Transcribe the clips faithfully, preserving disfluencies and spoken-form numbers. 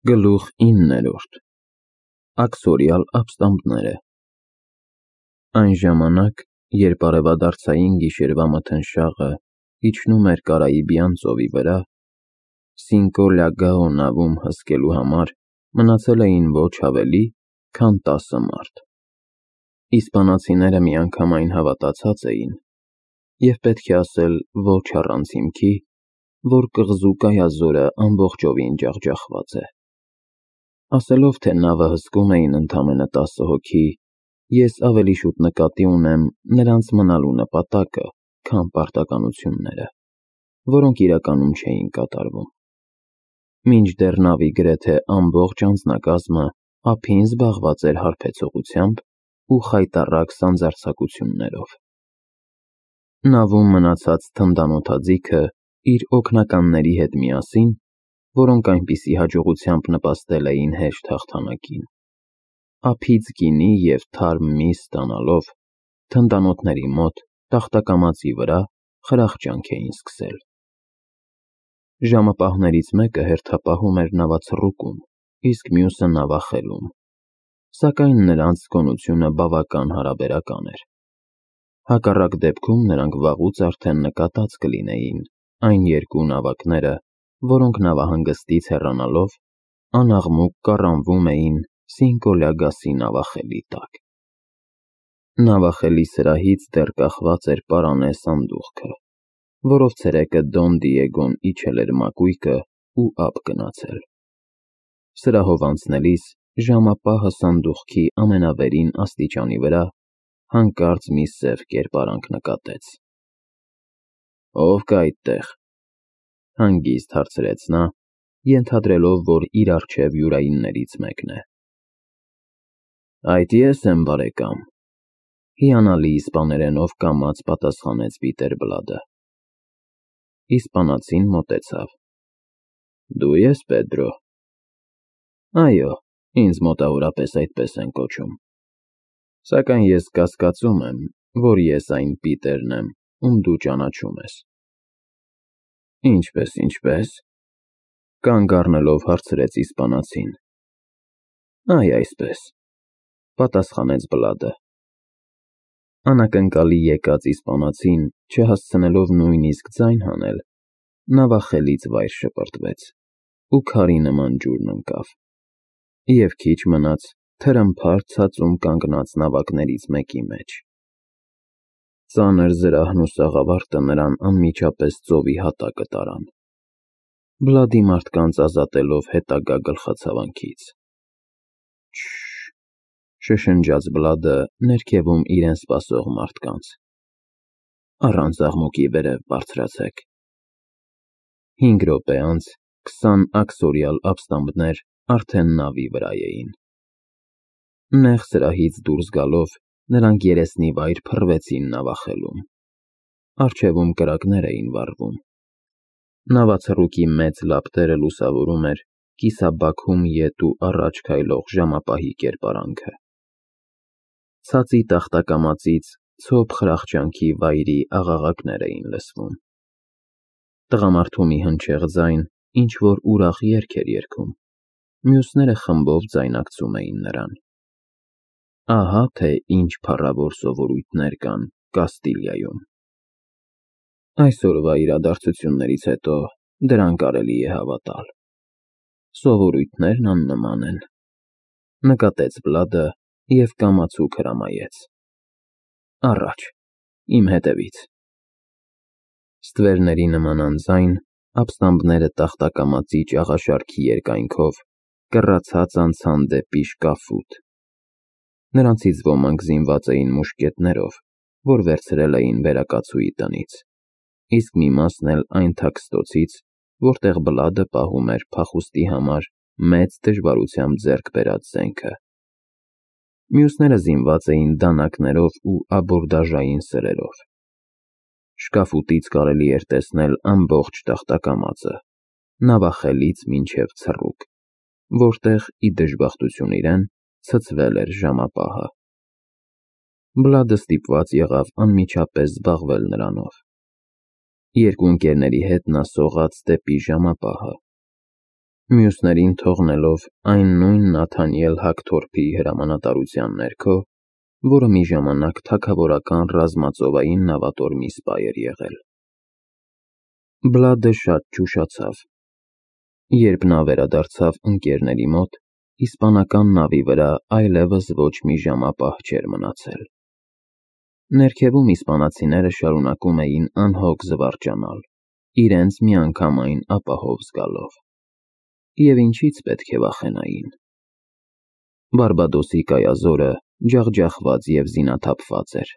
Գլուխ իններորդ Աքսորիալ ապստամբները Այն ժամանակ, երբ արևադարձային գիշերվա մթնշաղը իջնում էր Կարաիբյան ծովի վրա, Սինկո Լագաո նավում հսկելու համար մնացել էին ոչ ավելի, քան տասը մարդ։ Իսպանացիները միանգամայն հավատացած էին, և պետք է ասել ոչ առանց հիմքի, որ կղզու կայազորը ամբողջովին ջախջախված է։ Ասելով, թե նավը հսկում էին ընդամենը տասը հոգի, ես ավելի շուտ նկատի ունեմ նրանց մնալու նպատակը, քան պարտականությունները, որոնք իրականում չէին կատարվում։ Մինչդեռ նավի գրեթե ամբողջ անձնակազմը ափին զբաղված էր հարբեցողությամբ ու խայտառակ սանձարձակություններով։ Նավում մնացած թնդանոթաձիգը իր օգնականների հետ միասին, որոնք այնպիսի հաջողությամբ նպաստել էին հեշտ հաղթանակին, ափից գինի և թարմ միս ստանալով, թնդանոթների մոտ տախտակամածի վրա խրախճանք էին սկսել։ Ժամապահներից մեկը հերթապահում էր նավացռուկում, իսկ մյուսը նավախելում, սակայն նրանց զգոնությունը բավական հարաբերական էր։ Հակառակ դեպքում նրանք վաղուց արդեն նկատած կլինեին այն երկու նավակները, որոնք նավահանգստից հեռանալով, անաղմուկ կառանվում էին Սինկո Լագասի նավախելի տակ։ Նավախելի սրահից դեռ կախված էր պարանե սանդուղքը, որով ցերեկը Դոն Դիեգոն իջել էր մակույկը ու ափ գնացել։ Սրահով անցնելիս ժամապահը սանդուղքի ամենավերին աստիճանի վրա հանկարծ մի սև կերպարանք նկատեց։ «Ո՞վ կա այդտեղ», հանգիստ հարցրեց նա, ենթադրելով, որ իր առջև յուրայիններից մեկն է։ «Այդ ես եմ, բարեկամ», հիանալի իսպաներենով կամաց պատասխանեց Պիտեր Բլադը։ Իսպանացին մոտեցավ։ «Դու ես Պեդրո»։ «Այո, ինձ մոտավորապես այդպես են կոչում, սակայն ես կասկածում եմ, որ ես այն Պիտերն եմ, ում դու ճանաչում ես»։ «Ինչպե՞ս, ինչպե՞ս», կանգ առնելով հարցրեց իսպանացին։ «Այ այսպես», պատասխանեց Բլադը։ Անակնկալի եկած իսպանացին, չհասցնելով նույնիսկ ձայն հանել, նավախելից վայր շպրտվեց ու քարի նման ջուրն ընկավ, և քիչ մնաց թրմփար ցածում կանգնած նավակներից մեկի մեջ։ Ծանր զրահն ու սաղավարտը նրան անմիջապես ծովի հատակը տարան, Բլադի մարդկանց ազատելով հետագա գլխացավանքից։ «Շշ», շշնջաց Բլադը ներքևում իրեն սպասող մարդկանց։ «Առանց աղմուկի վերև բարձրացեք»։ Հինգ րոպե անց քսան աքսորիալ ապստամբներ արդեն նավի վրա էին։ Նեղ սրահից դուրս գալով, նրանք երեսնիվայր փռվեցին նավախելում։ Առջևում կրակներ էին վառվում։ Նավացռուկի մեծ լապտերը լուսավորում էր կիսաբաքում ետ ու առաջ քայլող ժամապահի կերպարանքը։ Ցածի տախտակամածից ցոփ խրախճանքի վայրի աղաղակներ էին լսվում։ Տղամարդու մի հնչեղ ձայն ինչ-որ ուրախ երգ էր երգում, մյուսները խմբով ձայնակցում էին նրան։ Ահա թե ինչ փառավոր սովորույթներ կան Կաստիլիայում։ Այսօրվա իրադարձություններից հետո դրան կարելի է հավատալ։ Սովորույթներն աննման են, նկատեց Բլադը և կամացուկ հրամայեց։ Առաջ, իմ հետևից։ Ստվերների նման անձայն, ապստամբները տախտակամածի ճաղաշարքի երկայնքով կռացած անցան դեպի շկաֆուտ։ Նրանցից ոմանք զինված էին մուշկետներով, որ վերցրել էին վերակացուի տնից, իսկ մի մասն էլ այն թաքստոցից, որտեղ Բլադը պահում էր փախուստի համար մեծ դժվարությամբ ձեռք բերած զենքը։ Մյուսները զինված էին դանակներով ու աբորդաժային սրերով։ Շկաֆուտից կարելի էր տեսնել ամբողջ տախտակամածը, նավախելից մինչև ցռուկ, որտեղ, ի դժբախտություն իրեն, ցցվել էր ժամապահը։ Բլադը ստիպված եղավ անմիջապես զբաղվել նրանով։ Երկու ընկերների հետ նա սողաց դեպի ժամապահը։ մյուսներին թողնելով այն նույն Նաթանիել Հակթորփի հրամանատարության ներքո, որը մի ժամանակ թագավորական ռազմածովային նավատորմի սպա էր եղել։ Բլադը շատ ճուշացավ։ Երբ նա վերադարձավ ընկերների մոտ, իսպանական նավի վրա այլևս ոչ մի ժամապահ չէր մնացել։ Ներքևում իսպանացիները շարունակում էին անհոգ զվարճանալ, իրենց միանգամայն ապահով զգալով։ Եվ ինչից պետք է վախենային։ Բարբադոսի կայազորը ջախջախված և զինաթափված էր։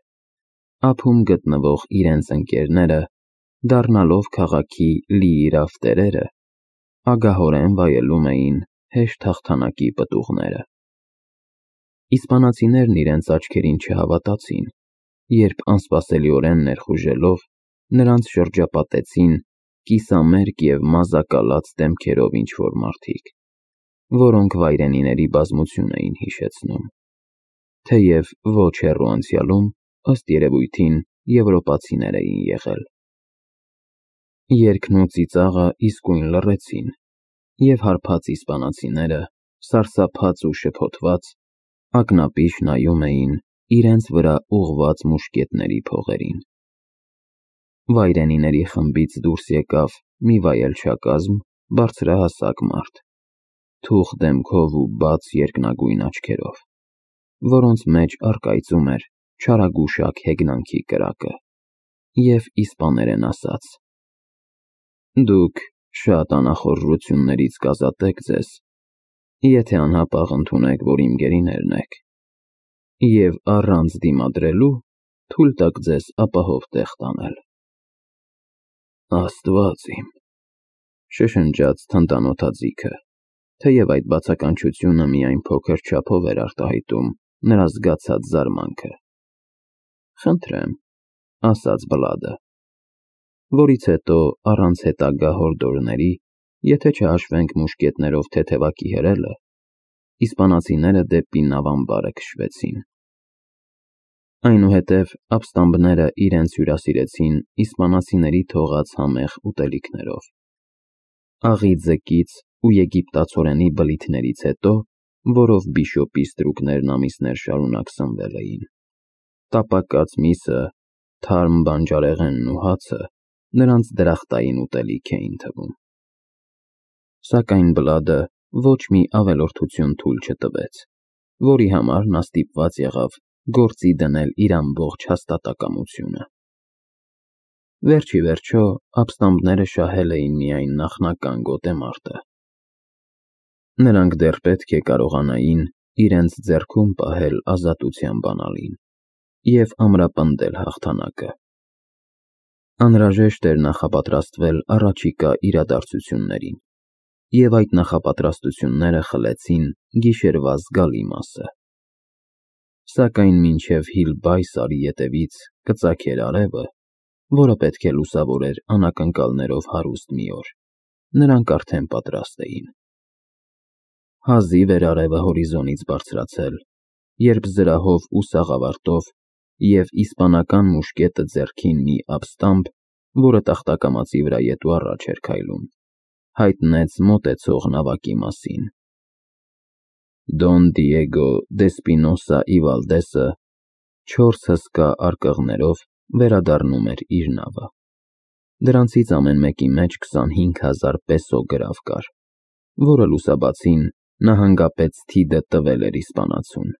Ափում գտնվող իրենց ընկերները, դառնալով քաղաքի լիիրավ տերերը, ագահորեն վայելում էին հեշտ հաղթանակի պտուղները։ Իսպանացիներն իրենց աչքերին չհավատացին, երբ անսպասելիորեն ներխուժելով, նրանց շրջապատեցին կիսամերկ և մազակալած դեմքերով ինչ-որ մարդիկ, որոնք վայրենիների բազմություն էին հիշեցնում, թեև ոչ հեռու անցյալում, ըստ երևույթին, եվրոպացիներ էին եղել։ Երգն ու ծիծաղը իսկույն լռեցին, և հարբած իսպանացիները, սարսափած ու շփոթված, ակնապիշ նայում էին իրենց վրա ուղղված մուշկետների փողերին։ Վայրենիների խմբից դուրս եկավ մի վայելչակազմ բարձրահասակ մարդ, թուխ դեմքով ու բաց երկնագույն աչքերով, որոնց մեջ առկայծում էր չարագուշակ հեգնանքի կրակը, և իսպաներեն ասաց. «Դուք շատ անախորժություններից կազատեք ձեզ, եթե անհապաղ ընդունեք, որ իմ գերիներն եք, և առանց դիմադրելու թույլ տաք ձեզ ապահով տեղ տանել»։ Աստված իմ, շշնջաց թնդանոթաձիգը, թեև այդ բացականչությունը միայն փոքր չափով էր արտահայտում նրա զգացած զարմանքը։ Խնդրեմ, ասաց Բլադը, որից հետո առանց հետագա հորդորների, եթե չհաշվենք մուշկետներով թեթևակի հրելը, իսպանացիները դեպի նավամբարը քշվեցին։ Այնուհետև ապստամբները իրենց հյուրասիրեցին իսպանացիների թողած համեղ ուտելիքներով։ Աղի ձկից ու եգիպտացորենի բլիթներից հետո, որով բիշոպի ստրուկներն ամիսներ շարունակ սնվել էին, տապակած միսը, թարմ բանջարեղենն ու հացը նրանց դրախտային ուտելիք էին թվում։ Սակայն Բլադը ոչ մի ավելորդություն թույլ չտվեց, որի համար նա ստիպված եղավ գործի դնել իր ամբողջ հաստատակամությունը։ Վերջիվերջո, ապստամբները շահել էին միայն նախնական գոտեմարտը։ Նրանք դեռ պետք է կարողանային իրենց ձեռքում պահել ազատության բանալին և ամրապնդել հաղթանակը։ Անհրաժեշտ էր նախապատրաստվել առաջիկա իրադարձություններին, և այդ նախապատրաստությունները խլեցին գիշերվա զգալի մասը։ Սակայն մինչև Հիլբայսարի ետևից կծագեր արևը, որը պետք է լուսավորեր անակնկալներով հարուստ մի օր, նրանք արդեն պատրաստ էին։ Հազիվ էր արևը հորիզոնից բարձրացել, երբ զրահով ու սաղավարտով և իսպանական մուշկետը ձեռքին մի ապստամբ, որը տախտակամածի վրա ետ ու առաջ էր քայլում, հայտնեց մոտեցող նավակի մասին։ Դոն Դիեգո Դեսպինոսա ի Վալդեսը չորս հսկաարկղներով վերադառնում էր իր նավը։ Դրանցից ամեն մեկի մեջ քսանհինգ հազար պեսո գրավ կար, որը լուսաբացին նահանգապետ Թիդը տվել էր իսպանացուն։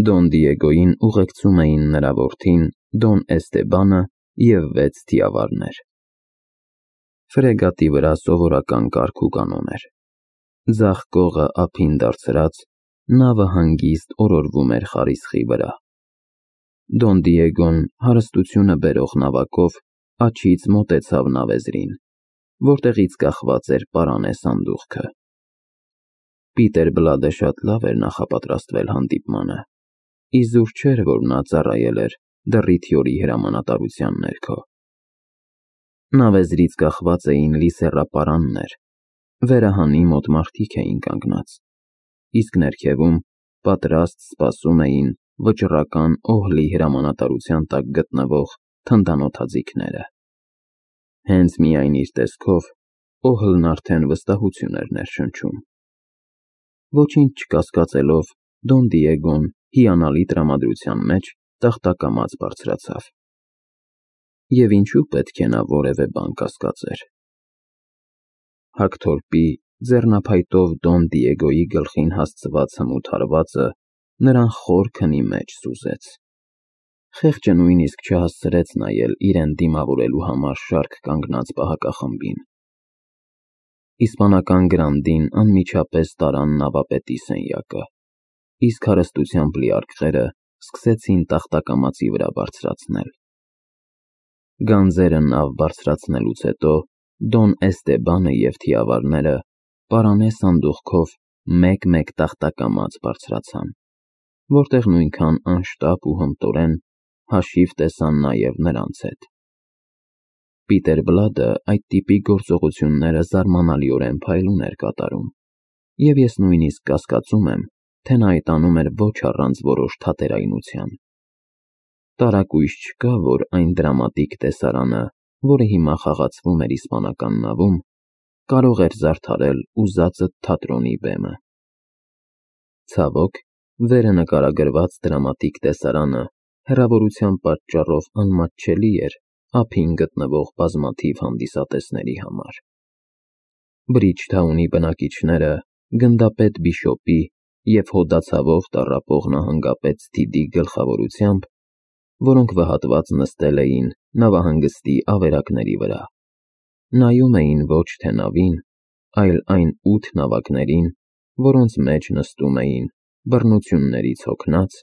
Դոն Դիեգոյին ուղեկցում էին նրա որդին Դոն Էստեբանը և վեց թիավարներ։ Ֆրեգատի վրա սովորական կարգ ու կանոն էր։ Ձախ կողը ափին դարձրած, նավը հանգիստ օրորվում էր խարիսխի վրա։ Դոն Դիեգոն հարստությունը բերող նավակով աջից մոտեցավ նավեզրին, որտեղից կախված էր պարանե սանդուղքը։ Պիտեր Բլադը շատ լավ էր նախապատրաստվել հանդիպմանը, իզուր չէր, որ նա ծառայել էր Դռիթյորի հրամանատարության ներքո։ Նավեզրից կախված էին լի սեռապարաններ, վերահանի մոտ մարդիկ էին կանգնած, իսկ ներքևում պատրաստ սպասում էին վճռական օհլի հրամանատարության տակ գտնվող թնդանոթաձիգները։ Հենց միայն իր տեսքով Օհլն արդեն վստահություն էր ներշնչում։ Ոչինչ չկասկածելով, Դոն Դիեգոն հիանալի տրամադրության մեջ տախտակամած բարձրացավ։ Եվ ինչու պետք է նա որևէ բան կասկածեր։ Հագթորպի ձեռնափայտով Դոն Դիեգոյի գլխին հասցված հմուտ հարվածը նրան խոր քնի մեջ սուզեց։ Խեղճը նույնիսկ չհասցրեց նայել իրեն դիմավորելու համար շարք կանգնած պահակախմբին։ Իսպանական գրանդին անմիջապես տարան նավապետի սենյակը, իսկ հարստությամբ լի արկղերը սկսեցին տախտակամածի վրա բարձրացնել։ Գանձերը նավ բարձրացնելուց հետո Դոն Էստեբանը և թիավարները պարանե սանդուղքով մեկ-մեկ տախտակամած բարձրացան, որտեղ նույնքան անշտապ ու հմտորեն հաշիվ տեսան նաև նրանց հետ։ Պիտեր Բլադը այդ տիպի գործողությունները զարմանալիորեն փայլուն էր կատարում, և ես նույնիսկ կասկածում եմ, թե նա այդ անում էր ոչ առանց որոշ թատերայնության։ Տարակույս չկա, որ այն դրամատիկ տեսարանը, որը հիմա խաղացվում էր իսպանական նավում, կարող էր զարդարել ուզածդ թատրոնի բեմը։ Ցավոք, վերը նկարագրված դրամատիկ տեսարանը հեռավորության պատճառով անմատչելի էր ափին գտնվող բազմաթիվ հանդիսատեսների համար։ Բրիջթաունի բնակիչները գնդապետ Բիշոպի և հոդացավով տառապող նահանգապետ Սթիդի գլխավորությամբ, որոնք վհատված նստել էին նավահանգստի ավերակների վրա, նայում էին ոչ թե նավին, այլ այն ութ նավակներին, որոնց մեջ նստում էին բռնություններից հոգնած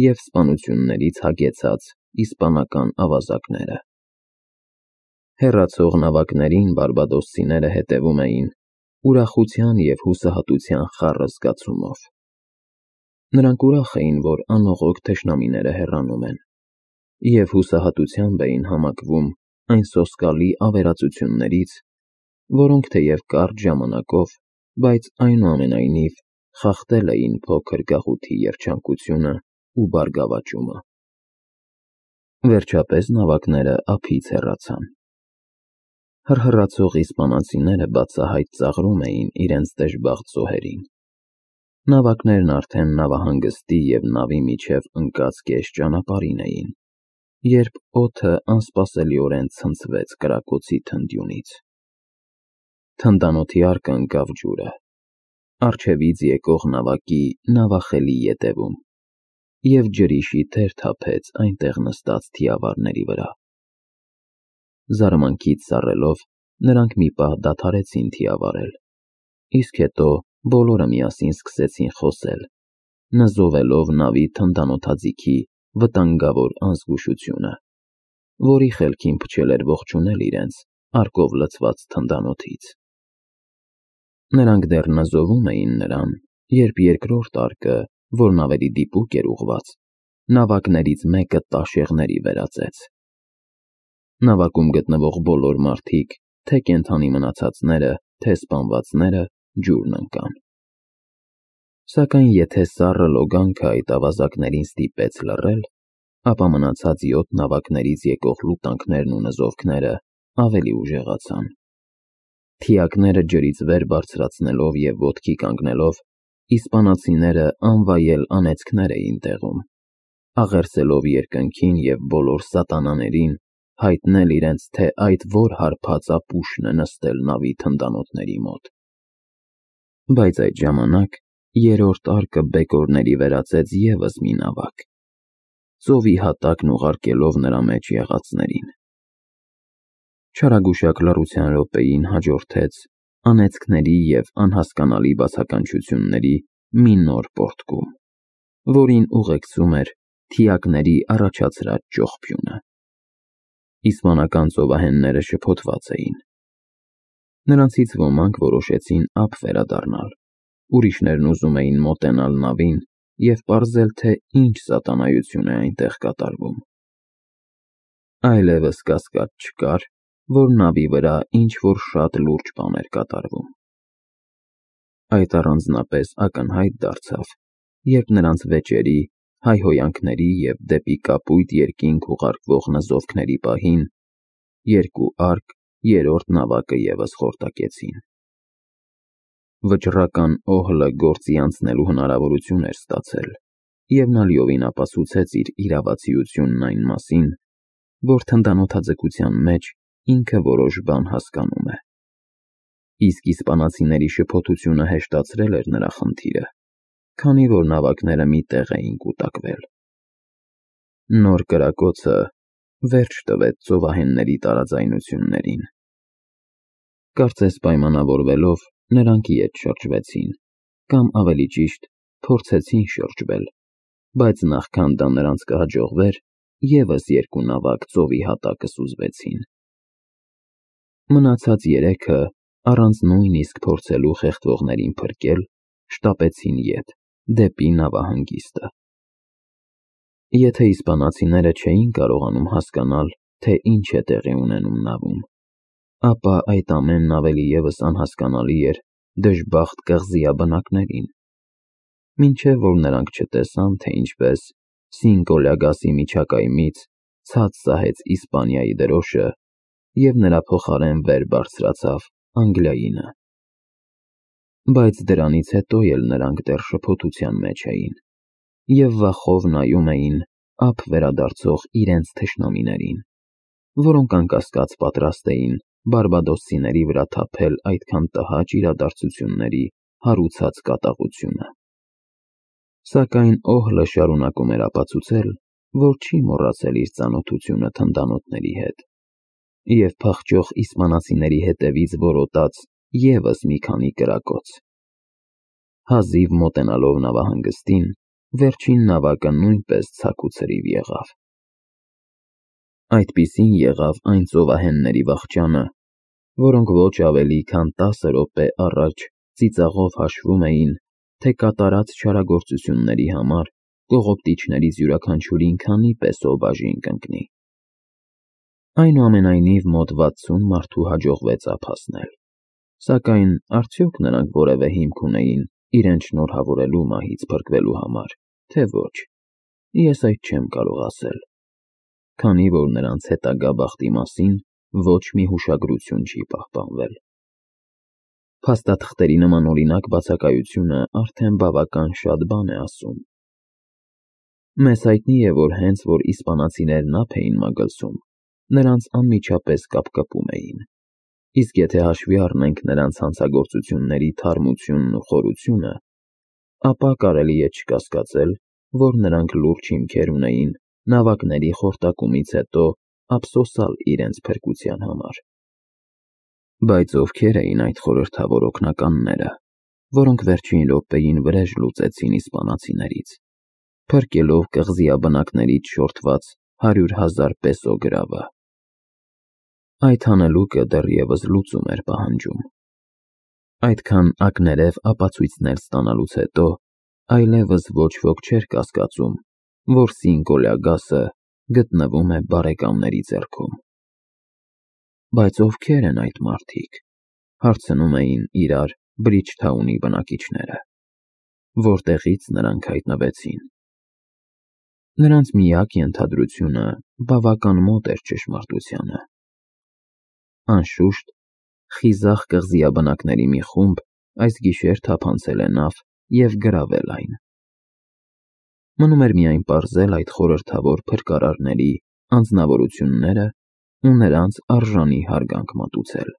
և սպանություններից հագեցած իսպանական ավազակները։ Հեռացող նավակներին բարբադոսցիները հետևում էին ուրախության և հուսահատության խառը զգացումով։ Նրանք ուրախ էին, որ անողոք թշնամիները հեռանում են, և հուսահատությամբ էին համակվում այն սոսկալի ավերածություններից, որոնք թեև կարճ ժամանակով, բայց այնուամենայնիվ խախտել էին փոքր գաղութի երջանկությունը ու բարգավաճումը։ Վերջապես նավակները ափից հեռացան։ Հռհռացող իսպանացիները բացահայտ ծաղրում էին իրենց դժբախտ զոհերին։ Նավակներն արդեն նավահանգստի և նավի միջև ընկած կես ճանապարհին էին, երբ օդը անսպասելիորեն ցնցվեց կրակոցի թնդյունից։ Թնդանոթի արկը ընկավ ջուրը, առջևից եկող նավակի նավախելի ետևում, և ջրի շիթեր թափեց այնտեղ նստած թիավարների վրա։ Զարմանքից սառելով, նրանք մի պահ դադարեցին թիավարել, իսկ հետո բոլորը միասին սկսեցին խոսել, նզովելով նավի թնդանոթաձիգի վտանգավոր անզգուշությունը, որի խելքին փչել էր ողջունել իրենց արկով լցված թնդանոթից։ Նրանք դեռ նզովում էին նրան, երբ երկրորդ արկը, որ նավերի դիպուկ էր ուղղված, նավակներից մեկը տաշեղների վերածեց։ Նավակում գտնվող բոլոր մարդիկ, թե կենդանի մնացածները, թե սպանվածները, ջուրն ընկան։ Սակայն եթե սառը լոգանքը այդ ավազակներին ստիպեց լռել, ապա մնացած յոթ նավակներից եկող լուտանքներն ու նզովքները ավելի ուժեղացան։ Թիակները ջրից վեր բարձրացնելով և ոտքի կանգնելով, իսպանացիները անվայել անեծքներ էին տեղում, աղերսելով երկնքին և բոլոր սատանաներին հայտնել իրենց, թե այդ որ հարբած ապուշն է նստել նավի թնդանոթների մոտ։ Բայց այդ ժամանակ երրորդ արկը բեկորների վերածեց ևս մի նավակ, ծովի հատակն ուղարկելով նրա մեջ եղածներին։ Չարագուշակ լռության րոպեին հաջորդեց անեծքների և անհասկանալի բացականչությունների մի նոր պոռթկում, որին ուղեկցում էր թիակների առաջացրած ճողփյունը։ Իսպանական ծովահենները շփոթված էին։ Նրանցից ոմանք որոշեցին ափ վերադառնալ, ուրիշներն ուզում էին մոտենալ նավին և պարզել, թե ինչ սատանայություն է այնտեղ կատարվում։ Այլևս կասկած չկար, որ նավի վրա ինչ-որ շատ լուրջ բան էր կատարվում։ Այդ առանձնապես ակնհայտ դարձավ, երբ նրանց վեճերի, հայհոյանքների և դեպի կապույտ երկինք ուղարկվող նզովքների պահին երկու արկ երրորդ նավակը ևս խորտակեցին։ Վճռական օհլը գործի անցնելու հնարավորություն էր ստացել, և նա լիովին ապացուցեց իր իրավացիությունն այն մասին, որ թնդանոթաձգության մեջ ինքը որոշ բան հասկանում է։ Իսկ իսպանացիների շփոթությունը հեշտացրել էր նրա խնդիրը, քանի որ նավակները մի տեղ էին կուտակվել։ Նոր կրակոցը վերջ տվեց ծովահենների տարաձայնություններին։ Կարծես պայմանավորվելով, նրանք ետ շրջվեցին, կամ ավելի ճիշտ, փորձեցին շրջվել, բայց նախքան դա նրանց կհաջողվեր, ևս երկու նավակ ծովի հատակը սուզվեցին։ Մնացած երեքը, առանց նույնիսկ փորձելու խեղդվողներին փրկել, շտապեցին ետ, դեպի նավահանգիստը։ Եթե իսպանացիները չէին կարողանում հասկանալ, թե ինչ է տեղի ունենում նավում, ապա այդ ամենն ավելի ևս անհասկանալի էր դժբախտ կղզիաբնակներին, մինչև որ նրանք չտեսան, թե ինչպես Սինկո Լյագասի միջակայմից ցած սահեց Իսպանիայի դրոշը և նրա փոխարեն վեր բարձրացավ Անգլիայինը։ Բայց դրանից հետո էլ նրանք դեռ շփոթության մեջ էին և վախով նայում էին ափ վերադարձող իրենց թշնամիներին, որոնք անկասկած պատրաստ էին բարբադոսցիների վրա թափել այդքան տհաճ իրադարձությունների հարուցած կատաղությունը։ Սակայն օհլը շարունակում էր ապացուցել, որ չի մոռացել իր ծանոթությունը թնդանոթների հետ, և փախչող իսպանացիների հետևից որոտաց ևս մի քանի կրակոց։ Հազիվ մոտենալով նավահանգստին, վերջին նավակը նույնպես ցաք ու ցրիվ եղավ։ Այդպիսին եղավ այն ծովահենների վախճանը, որոնք ոչ ավելի քան տասը րոպե առաջ ծիծաղով հաշվում էին, թե կատարած չարագործությունների համար կողոպտիչներից յուրաքանչյուրին քանի պեսո բաժին կընկնի։ Այնուամենայնիվ մոտ վաթսուն մարդու հաջողվեց ափ հասնել, սակայն արդյոք նրանք որևէ հիմք ունեին իրենց շնորհավորելու մահից փրկվելու համար, թե ոչ, ես այդ չեմ կարող ասել, քանի որ նրանց հետագա բախտի մասին ոչ մի հուշագրություն չի պահպանվել։ Փաստաթղթերի նմանօրինակ բացակայությունը արդեն բավական շատ բան է ասում։ Մեզ հայտնի է, որ հենց որ իսպանացիներն ափ էին մագլցում, նրանց անմիջապես կապկպում էին, իսկ եթե հաշվի առնենք նրանց հանցագործությունների թարմությունն ու խորությունը, ապա կարելի է չկասկածել, որ նրանք լուրջ հիմքեր ունեին նավակների խորտակումից հետո ափսոսալ իրենց փրկության համար։ Բայց ովքեր էին այդ խորհրդավոր օգնականները, որոնք վերջին րոպեին վրեժ լուծեցին իսպանացիներից, փրկելով կղզիաբնակներից շորթված հարյուր հազար պեսո գրավը։ Այդ հանելուկը դեռևս լուծում էր պահանջում։ Այդքան ակներև ապացույցներ ստանալուց հետո այլևս ոչ ոք չէր կասկածում, որ Սինկո Լյագասը գտնվում է բարեկամների ձեռքում։ Բայց ովքեր են այդ մարդիկ, հարցնում էին իրար Բրիջթաունի բնակիչները, որտեղից նրանք հայտնվեցին։ Նրանց միակ ենթադրությունը բավական մոտ էր ճշմարտությանը։ Անշուշտ, խիզախ կղզիաբնակների մի խումբ այս գիշեր թափանցել է նավ և գրավել այն։ Մնում էր միայն պարզել այդ խորհրդավոր փրկարարների անձնավորությունները ու նրանց արժանի հարգանք մատուցել։